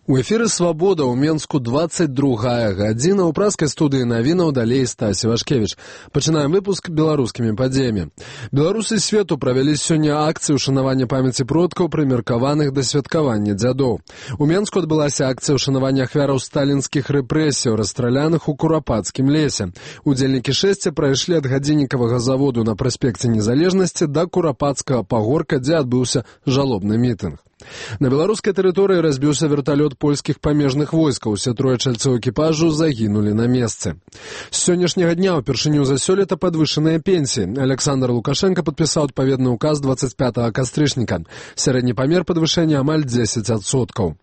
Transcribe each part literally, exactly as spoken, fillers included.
У эфіры «Свабода» ў Менску двадцать другая гадзіна. У праскай студыі навінаў далей Стась Івашкевіч. Пачынаем выпуск беларускімі падзеямі. Беларусы свету правялі сёння акцыю ўшанавання памяці продкаў, прымеркаваных да святкавання дзядоў. У Менску адбылася акцыя ўшанавання ахвяраў сталінскіх рэпрэсіяў, расстраляных у Курапацкім лесе. Удзельнікі шэсця прайшлі ад гадзіннікавага заводу на праспекце Незалежнасці да Курапацкага пагорка, дзе адбыўся жалобны мітынг. На беларускай тэрыторыі разбіўся верталёт польскіх памежных войскаў. Усе трое чальцоў экіпажу загінулі на месцы. З сённяшняга дня ўпершыню за сёлета падвышаныя пенсіі. Александр Лукашенко падпісаў адпаведны указ двадцать пятага кастрычніка. Сярэдні памер падвышэння амаль дзесяць адсоткаў.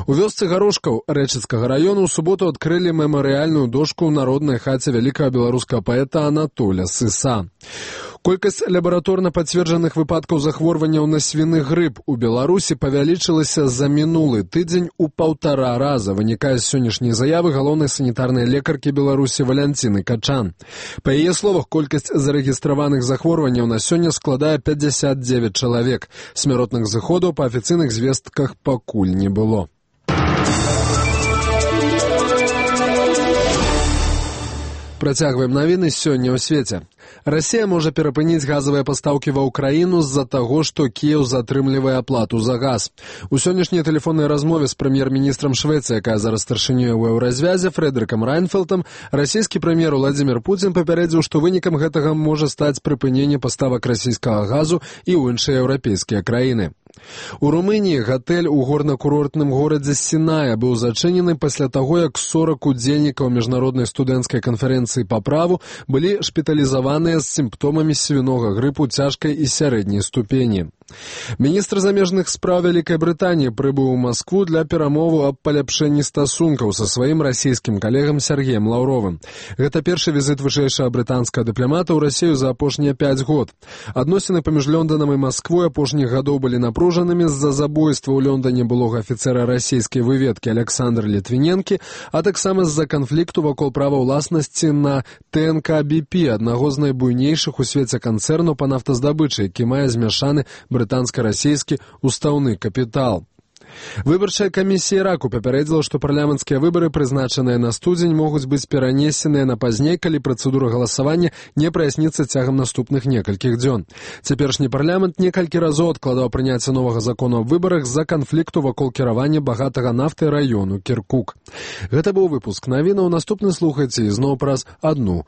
У вёсцы Гарошкаў Рэчыцкага раёну ў суботу адкрылі мемарыяльную дошку ў народнай хаце вялікага беларускага паэта Анатоля Сыса. Колькасць лабараторна пацверджаных выпадкаў захворванняў на свіны грып у Беларусі павялічылася за мінулы тыдзень у паўтара раза, вынікае з сённяшняй заявы галоўнай санітарнай лекаркі Беларусі Валянціны Качан. Па яе словах, колькасць зарэгістраваных захворванняў на сёння складае пятьдесят девять чалавек. Смяротных зыходаў па афіцыйных звестках пакуль не было. Працягваем навіны сёння ў свеце. Расія можа перапыніць газавыя пастаўкі ва ўкраіну з-за таго, што Кіеў затрымлівае аплату за газ. У сённяшняй тэлефоннай размове з прэм'ер-міністрам Швецыі, якая зараз старшынёй у еўразвязе, Фрэдэрыкам Райнфелтам, расійскі прэм'ер Уладзімір Пуцін папярэдзіў, што вынікам гэтага можа стаць прыпыненне паставак расійскага газу і ў іншыя еўрапейскія краіны. У Румыніі гатэль у горна-курортным горадзе Сіная быў зачынены пасля таго, як сорок удзельнікаў міжнароднай студэнцкай канферэнцыі па праву былі шпіталізаваныя з сімптомамі свінога грыпу цяжкай і сярэдняй ступені. Міністр замежных спраў Вялікай Брытаніі прыбыў у Маскву для перамоваў аб паляпшэнні стасункаў са сваім расійскім калегам Сергеем Лаўровым. Гэта першы візіт вышэйшага брытанскага дыпламата ў Расію за апошнія пяць год. Адносіны паміж Лёнданам і Масквой апошніх гадоў былі напружанымі з-за забойства ў Лёндане былога афіцэра расійскай выведкі Александра Літвіненкі, а таксама з-за канфлікту вакол права ўласнасці на тэ эн ка би пі, аднаго з найбуйнейшых у свеце канцэрнаў па нафтаздабычы, які мае змяшаны брытанска-расійскі устаўны капітал. Выбарчая камісія Іраку папярэдзіла, што парламенцкія выбары, прызначаныя на студзень, могуць быць перанесеныя на пазней, калі працэдура галасавання не праясніцца цягам наступных некалькіх дзён. Цяперашні парламент некалькі разоў адкладаў прыняцце новага закону аб выбарах з-за канфлікту вакол кіравання багатага нафтай раёну Кіркук. Гэта быў выпуск навінаў. Наступны слухайце ізноў праз адну